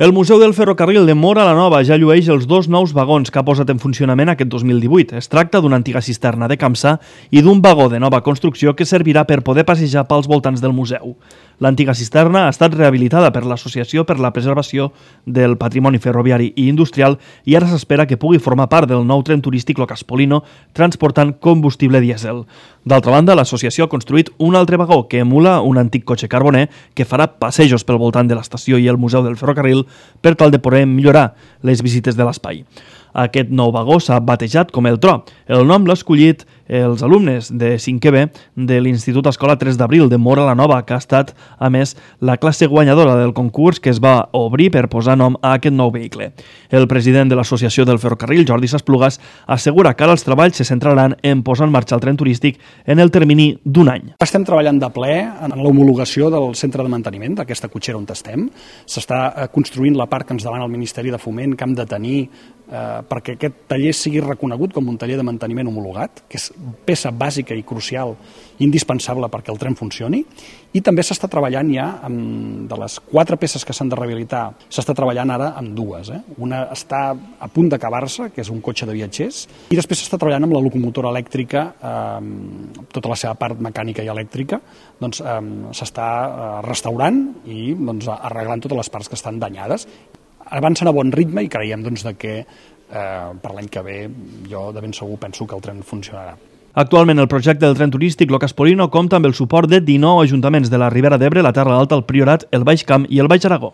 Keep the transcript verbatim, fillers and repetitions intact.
El Museu del Ferrocarril de Móra la Nova ja llueix els dos nous vagons que ha posat en funcionament aquest dos mil divuit. Es tracta d'una antiga cisterna de Campsa i d'un vagó de nova construcció que servirà per poder passejar pels voltants del museu. L'antiga cisterna ha estat rehabilitada per l'Associació per la Preservació del Patrimoni Ferroviari i Industrial i ara s'espera que pugui formar part del nou tren turístic Lo Caspolino transportant combustible dièsel. D'altra banda, l'associació ha construït un altre vagó que emula un antic cotxe carboner que farà passejos pel voltant de l'estació i el Museu del Ferrocarril per tal de poder millorar les visites de l'espai. Aquest nou vagó s'ha batejat com el Tro. El nom l'ha escollit els alumnes de cinquè B de l'Institut Escola tres d'abril de Móra la Nova, que ha estat, a més, la classe guanyadora del concurs que es va obrir per posar nom a aquest nou vehicle. El president de l'Associació del Ferrocarril, Jordi Sasplugas, assegura que ara els treballs se centraran en posar en marxa el tren turístic en el termini d'un any. Estem treballant de ple en l'homologació del centre de manteniment d'aquesta cotxera on estem. S'està construint la part que ens demana el Ministeri de Foment que hem de tenir eh, perquè aquest taller sigui reconegut com un taller de manteniment homologat, que és peça bàsica i crucial, indispensable perquè el tren funcioni, i també s'està treballant ja amb, de les quatre peces que s'han de rehabilitar, s'està treballant ara amb dues. Eh? Una està a punt d'acabar-se, que és un cotxe de viatgers, i després s'està treballant amb la locomotora elèctrica, eh, tota la seva part mecànica i elèctrica, doncs eh, s'està eh, restaurant i doncs, arreglant totes les parts que estan danyades. Avancen a bon ritme i creiem doncs, de que eh, per l'any que ve jo de ben segur penso que el tren funcionarà. Actualment el projecte del tren turístic Lo Caspolino compta amb el suport de dinou ajuntaments de la Ribera d'Ebre, la Terra Alta, el Priorat, el Baix Camp i el Baix Aragó.